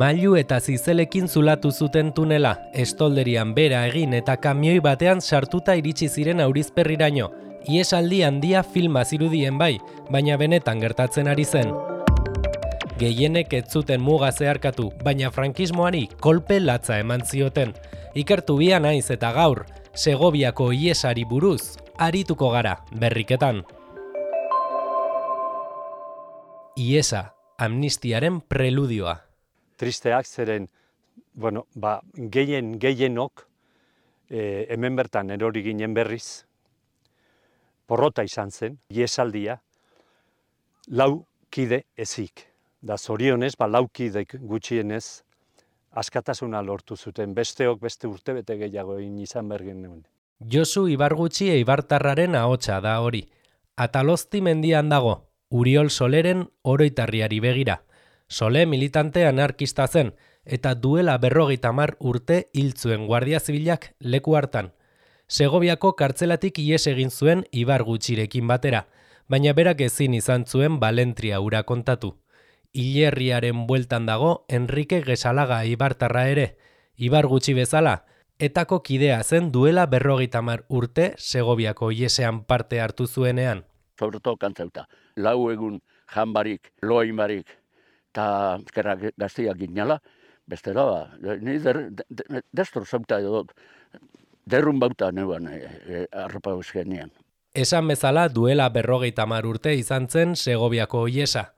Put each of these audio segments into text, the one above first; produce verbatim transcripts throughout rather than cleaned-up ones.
Mailu eta zizelekin zulatu zuten tunela, estolderian bera egin eta kamioi batean sartuta iritsi ziren Aurizperriraino. Iesaldi handia filma zirudien bai, baina benetan gertatzen ari zen. Gehienek ez zuten muga zeharkatu, baina frankismoari kolpe latza eman zioten. Ikertu bia naiz eta gaur, Segoviako iesari buruz, arituko gara, berriketan. Iesa, amnistiaren preludioa. Tristeak zeren, bueno, ba, gehien gehienok e, hemen bertan erori ginen berriz, porrota izan zen, iesaldia, lau kide ezik. Da zorionez, ba, lau kidek gutxienez, askatasuna lortu zuten, besteok beste urtebete gehiago egin izan bergen neuen. Josu Ibargutxi eibartarraren ahotsa da hori. Atalozti mendian dago, Uriol Soleren oroitarriari begira. Sole militante anarkista zen, eta duela berrogeita hamar urte hil zuen Guardia Zibilak leku hartan. Segoviako kartzelatik ihes egin zuen Ibargutxirekin batera, baina berak ezin izan zuen balentria hura kontatu. Hilerriaren bueltan dago Enrique Gesalaga eibartarra ere, Ibargutxi bezala, etako kidea zen duela berrogeita hamar urte Segoviako ihesean parte hartu zuenean. Sobretodo kantzauta, lau egun janbarik, loimarik, eta ezkerra gaztiak ginala, bestera ba, ni destro zauta edo, derrun bauta neuan e, e, arropa euskenean. Esan bezala duela berrogeita hamar urte izan zen Segoviako ihesa.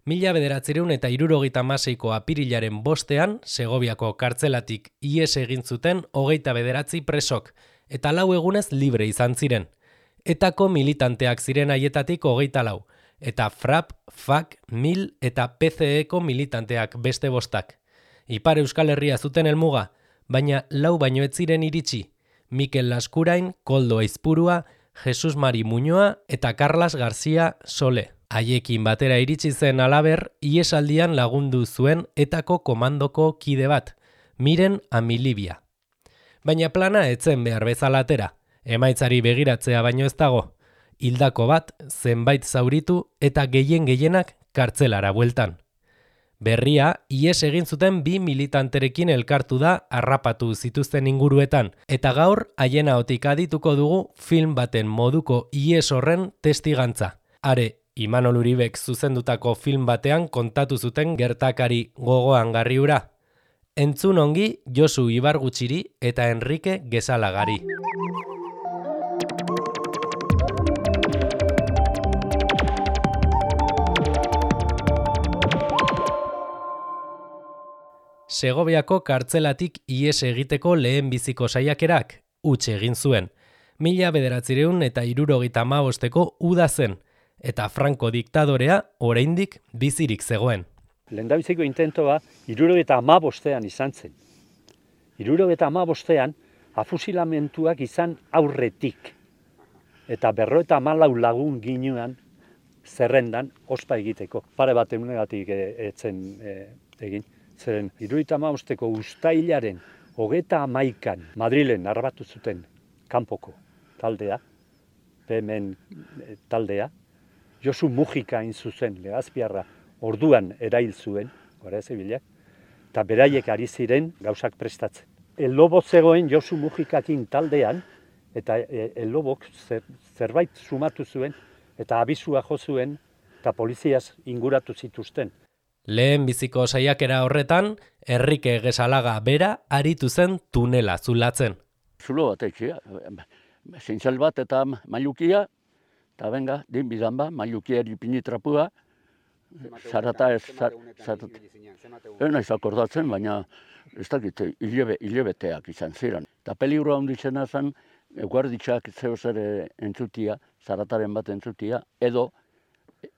Mila bederatziehun eta hirurogeita hamaseiko apirilaren bostean, Segoviako kartzelatik ihes egin zuten hogeita bederatzi presok, eta lau egunez libre izan ziren. Etako militanteak ziren haietatik hogeita lau, eta FRAP, FAK, MIL eta P C E-ko militanteak beste bostak. Ipar Euskal Herria zuten helmuga, baina lau baino ez ziren iritsi. Mikel Laskurain, Koldo Aizpurua, Jesus Mari Muñoa eta Carlas García Sole. Haiekin batera iritsi zen halaber, ihesaldian lagundu zuen etako komandoko kide bat, Miren Amilibia. Baina plana etzen behar bezala atera, emaitzari begiratzea baino ez dago. Hildako bat, zenbait zauritu eta gehien gehienak kartzelara bueltan. Berria, ihes egin zuten bi militanterekin elkartu da harrapatu zituzten inguruetan, eta gaur haien ahotik adituko dugu film baten moduko ihes horren testigantza. Are, Imanol Uribek zuzendutako film batean kontatu zuten gertakari gogoan garri hura. Entzun ongi Josu Ibargutxiri eta Enrique Gesalagari. Segoviako kartzelatik ihes egiteko lehen biziko saiakerak huts egin zuen. Mila bederatziehun eta hirurogeita hamabosteko uda zen, eta Franco diktadorea oraindik bizirik zegoen. Lehendabiziko intentoa hirurogeita hamabostean izan zen. hirurogeita hamabostean afusilamentuak izan aurretik, eta berrogeita hamalau lagun ginean zerrendan ospa egiteko. Pare bat egunegatik etzen e, egin. Zeren, hirurogeita hamabosteko uztailaren hogeita hamaikan Madrilen arbatu zuten kanpoko taldea, P M en taldea, Josu Mujika hain zuzen, Legazpiarra orduan erail zuen, Guardia Zibilak, eta beraiek ari ziren gauzak prestatzen. El Lobo zegoen Josu Mujikakin taldean, eta El Lobok zer, zerbait sumatu zuen, eta abisua jo zuen, eta poliziaz inguratu zituzten. Lehen biziko saiakera horretan, Enrique Gesalaga bera aritu zen tunela zulatzen. Zulo bat etxea, zintzal bat eta mailukia, eta benga, din bidan ba, mailukiari pinitrapua, zarata ez, zarata. Ez naiz akordatzen, baina ez dakit, hilebe, hilebeteak izan ziren. Eta peligro handitzena zen, guarditxak zeo zer entzutia, zarataren bat entzutia, edo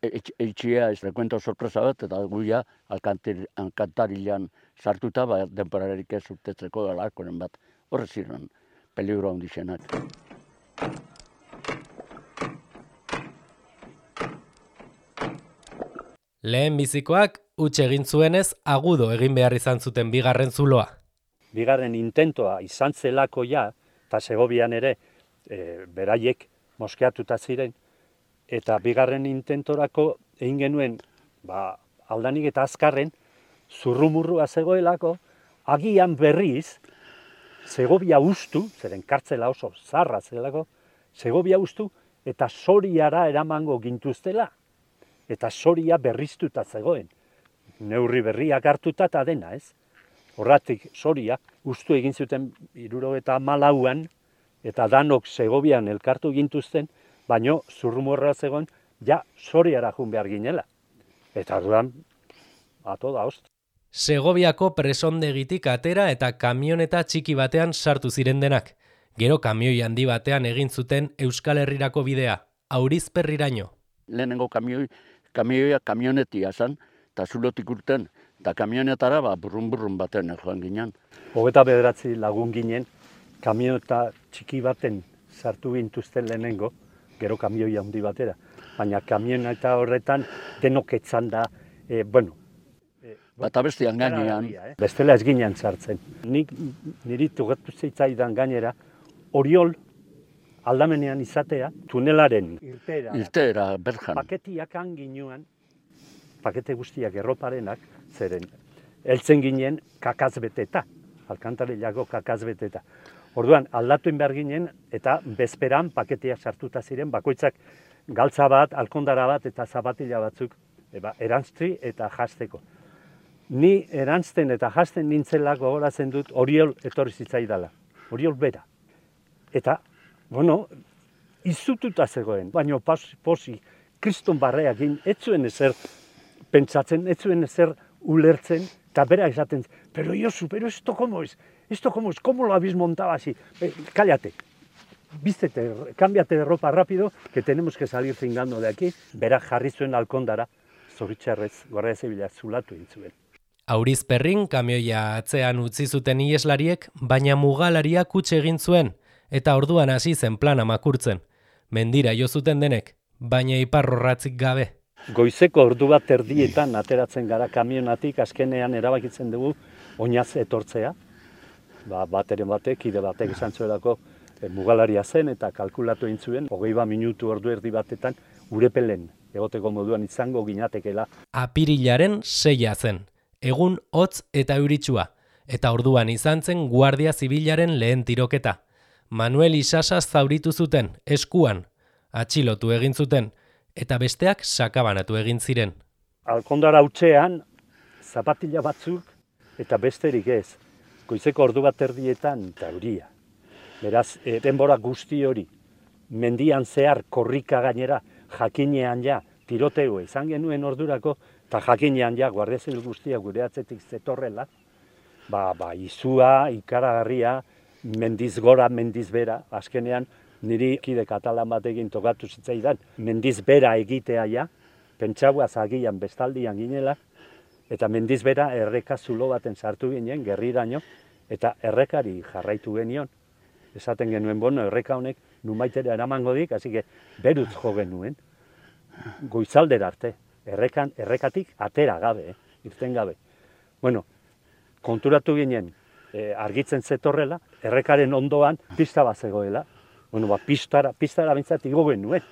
eitxia ez rekuento sorpresa bat, eta guia alkantarilan sartuta, ba, denporarik ez urtetzeko alarkoren bat. Horre ziren, peligro handitzenak. Lehen bizikoak huts egin zuenez agudo egin behar izan zuten bigarren zuloa. Bigarren intentoa izan zelako ja, eta Segovian ere e, beraiek moskeatuta ziren, eta bigarren intentorako egin genuen ba, aldanik eta azkarren zurrumurrua zegoelako, agian berriz, Segovia ustu, zeren kartzela oso zarra zelako, Segovia ustu eta Soriara eramango gintuztela. Eta Soria berriztuta zegoen. Neurri berriak hartuta eta dena, ez? Horratik Soria ustu egin zuten hirurogeita hamalauan eta danok Segovian elkartu gintuzten, baino zurrumurra zegoen ja Soriara jun behar ginela. Eta orduan, ato da host. Segoviako presondegitik atera eta kamioneta txiki batean sartu ziren denak. Gero kamioi handi batean egin zuten Euskal Herrirako bidea, Aurizperriraino. Lehenengo kamioi, kamioia kamionetia zan, eta zulotik urten, eta kamionetara ba, burrun-burrun baten joan ginen. Hogeta bederatzi lagun ginen, kamioneta txiki baten sartu gintuzten lehenengo, gero kamioi handi batera. Baina kamioneta horretan denok etzan da, e, bueno, Bata bestean gainean. Eh? Bestela ez ginen sartzen. Nik niri tugatu zitzaidan gainera, Oriol aldamenean izatea, tunelaren irteera. Irteera, berjan. Paketiak ginuan, pakete guztiak erroparenak, zeren, heltzen ginen kakazbeteta, alkantarilako kakazbeteta. Orduan, aldatu behar ginen, eta bezperan paketeak sartuta ziren, bakoitzak galtza bat, alkondara bat, eta zapatila batzuk, eba, erantzti eta jasteko. Ni erantzten eta jasten nintzelako gogoratzen dut Oriol etorri zitzaidala. Oriol bera. Eta, bueno, izututa zegoen, baina posi, kriston barreakin, ez zuen ezer pentsatzen, ez zuen ezer ulertzen, eta bera esaten, pero Josu, pero esto como es, esto como es, ¿cómo lo habéis montado así? Eh, cállate, vístete, cámbiate de ropa rápido, que tenemos que salir zingando de aquí. Bera jarri zuen alkondara, zoritxarrez, Guardia Zibila zulatu egin zuen. Aurizperrin kamioia atzean utzi zuten iheslariek, baina mugalaria kutxe egin zuen, eta orduan hasi zen plana makurtzen. Mendira jo zuten denek, baina iparrorratzik gabe. Goizeko ordu bat erdietan ateratzen gara kamionatik, azkenean erabakitzen dugu oinaz etortzea. Ba, bateren batek, kide batek esan zuelako e, mugalaria zen eta kalkulatu egin zuen, hogei bat minutu ordu erdi batetan urepelen egoteko moduan izango ginatekela. Apirilaren seia zen. Egun hotz eta euritsua, eta orduan izan zen Guardia Zibilaren lehen tiroketa. Manuel Isasa zauritu zuten, eskuan, atxilotu egin zuten, eta besteak sakabanatu egin ziren. Alkondara hutsean, zapatila batzuk, eta besterik ez, goizeko ordu bat erdietan, eta euria. Beraz, e, denbora guzti hori, mendian zehar korrika gainera, jakinean ja, tiroteo izan genuen ordurako, eta jakinean ja, Guardia Zibil guztia gure atzetik zetorrela, ba, ba, izua, ikaragarria, mendiz gora, mendiz bera, azkenean niri kide katalan batekin tokatu zitzaidan, mendiz bera egitea ja, pentsauaz agian bestaldian ginela, eta mendiz bera erreka zulo baten sartu ginen, gerriraino, eta errekari jarraitu genion. Esaten genuen, bueno, erreka honek numaitera eramango dik, hasi que beruz jo genuen, goizaldera arte. Errekan, errekatik atera gabe, eh, irten gabe. Bueno, konturatu ginen, eh, argitzen zetorrela, errekaren ondoan pista bat zegoela. Bueno, ba, pistara, pistara bintzat igo genuen.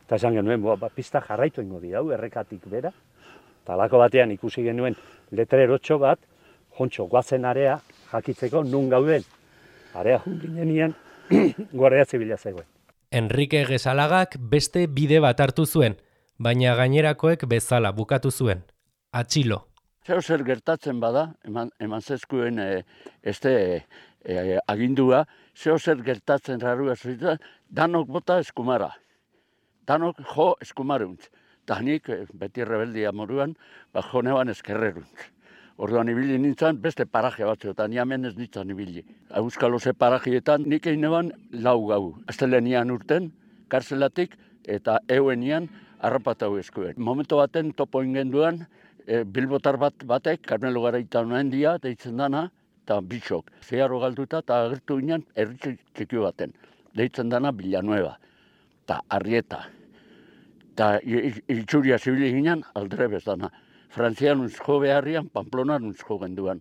Eta esan genuen, ba, pista jarraitu ingo di hau, errekatik bera. Eta alako batean ikusi genuen letrerotxo bat, jontxo, guazen area jakitzeko nun gauden. Area jun ginenian, Guardia Zibila zegoen. Enrique Gesalagak beste bide bat hartu zuen, baina gainerakoek bezala bukatu zuen. Atxilo. Zeo zer gertatzen bada, eman, eman zezkuen e, este e, e, agindua, zeo zer gertatzen rarua zuita, danok bota eskumara. Danok jo eskumaruntz. Eta nik e, beti rebeldia moruan, ba, jo neban eskerreruntz. Orduan ibili nintzen beste paraje batzuetan, ni hemen ez nintzen ibili. Euskalo ze parajietan nik egin neban lau gau. Astelenian urten, karzelatik, eta euenian harrapatau eskuen. Momento baten topo ingenduan, e, bilbotar bat batek, Karmelo Garaita noen dia, deitzen dana, eta bitxok. Zeharro galduta eta agertu ginen herri txiki baten. Deitzen dana Villanueva, eta Arrieta. Eta itxuria zibili ginen aldrebez dana. Frantzianuntz jo beharrian, Pamplonanuntz jo genduan.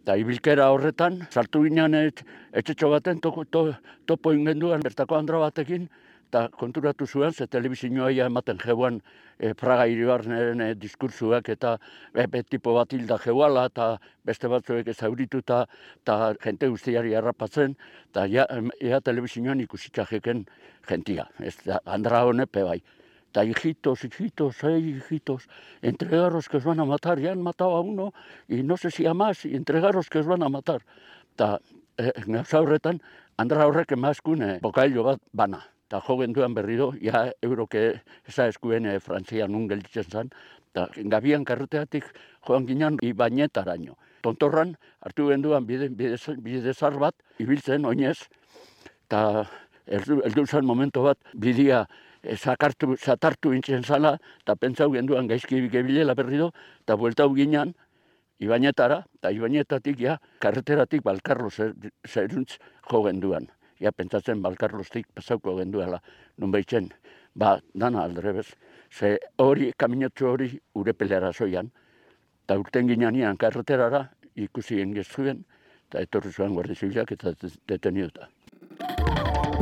Eta ibilkera horretan, sartu ginen et, etxetxo baten toko, to, topo ingenduan bertako andra batekin, eta konturatu zuen, ze telebizioa ematen jeuan e, Praga hiribarneren e, diskursuak eta e, e, tipo bat hilda jeuala, eta beste batzuek ezaurituta, eta jente guztiari harrapatzen, eta ja, ea telebizioan ikusitza jeken jentia, ez da, Andra honepe bai. Eta hijitos, hijitos, hey, hijitos, entregaros que os van a matar, ya han matado a uno, y no sé si a más, y entregaros que os van a matar. Eta e, gauza horretan, Andra horrek emazkune bokailo bat bana. Eta jo genduan berriro, ja euroke eza eskuen e, Frantzian nun gelditzen zen, eta gabian karreteatik joan ginen Ibañetaraino. Tontorran hartu genduan bide, bide, bidezar bat, ibiltzen oinez, eta heldu zen momento bat, bidea zakartu, zatartu intzen zala, eta pentsau genduan gaizki gebilela berriro, eta bueltau ginen Ibañetara, eta Ibañetatik ja, karreteratik Balkarlo zeruntz jo genduan. Ja, pentsatzen Balkarlostik pasauko genduela, nun behitzen, ba, dana aldrebez. Ze hori, kaminotxo hori, Urepelera zoian, eta urten ginean karreterara, ikusi engezuen, eta etorri zuen Guardia Zibilak eta deteniduta.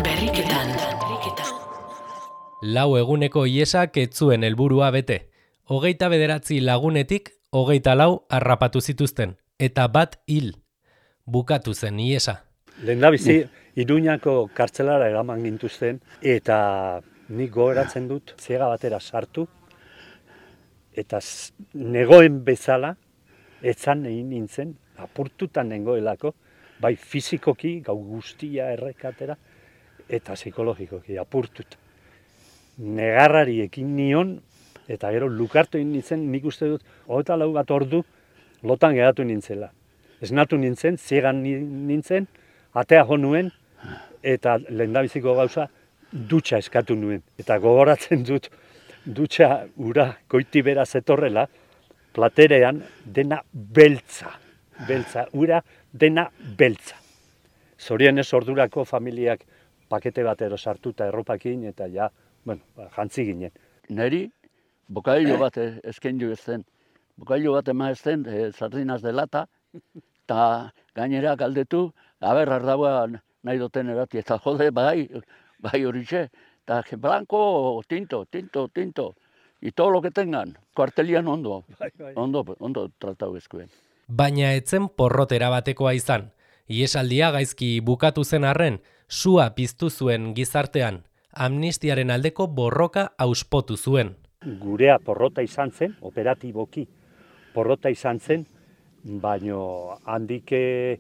Berriketan. Lau eguneko iesak ez zuen helburua bete. Hogeita bederatzi lagunetik, hogeita lau harrapatu zituzten, eta bat hil. Bukatu zen iesa. Lehendabizi, Iruñako kartzelara eraman gintuzten, eta nik gogeratzen dut, ziega batera sartu, eta negoen bezala, etzan egin nintzen, apurtutan nengoelako, bai fizikoki, gau guztia errekatera, eta psikologikoki apurtut. Negarrari ekin nion, eta gero lukartu egin nintzen, nik uste dut, hogeita lau bat ordu, lotan geratu nintzela. Esnatu nintzen, ziegan nintzen, atea jo nuen, eta lehendabiziko gauza, dutxa eskatu nuen. Eta gogoratzen dut, dutxa ura goiti bera zetorrela, platerean dena beltza. Beltza, ura dena beltza. Zorionez ordurako familiak pakete batero sartuta erropakin, eta ja, bueno, jantzi ginen. Neri, bokailo bat eskendu ez zen. Bokailo bat ema ez zen, e, sardinaz de lata, eta gainera galdetu, aber, ardaua nahi duten erati, eta jode, bai, bai horixe, eta blanco, tinto, tinto, tinto, y todo lo que tengan, kuartelian ondo, bai, bai. ondo, ondo tratau ezkuen. Baina etzen porrotera batekoa izan. Iesaldia gaizki bukatu zen arren, sua piztu zuen gizartean, amnistiaren aldeko borroka auspotu zuen. Gurea porrota izan zen, operatiboki porrota izan zen, baino handike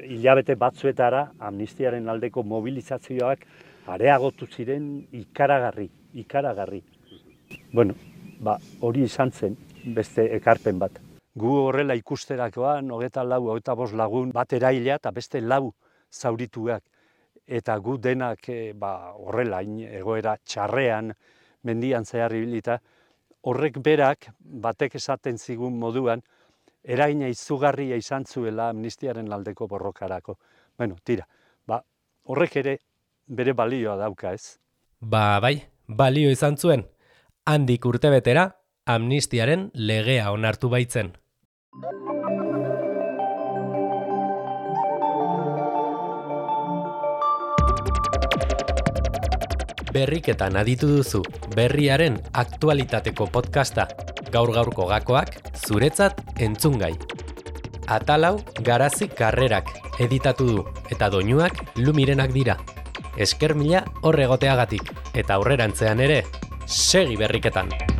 hilabete batzuetara amnistiaren aldeko mobilizazioak areagotu ziren ikaragarri, ikaragarri. Bueno, ba, hori izan zen beste ekarpen bat. Gu horrela ikusterakoan, hogeita lau, hogeita bost lagun bat eraila eta beste lau zaurituak. Eta gu denak e, ba, horrela egoera txarrean, mendian zehar ibilita, horrek berak batek esaten zigun moduan, eragina izugarria izan zuela amnistiaren aldeko borrokarako. Bueno, tira, ba, horrek ere bere balioa dauka, ez? Ba, bai, balio izan zuen. Handik urtebetera, amnistiaren legea onartu baitzen. Berriketan aditu duzu, berriaren aktualitateko podcasta. Gaur-gaurko gakoak, zuretzat entzungai. Atalau Garazi Karrerak editatu du, eta doinuak Lumirenak dira. Esker mila horregoteagatik, eta aurrerantzean ere, segi berriketan.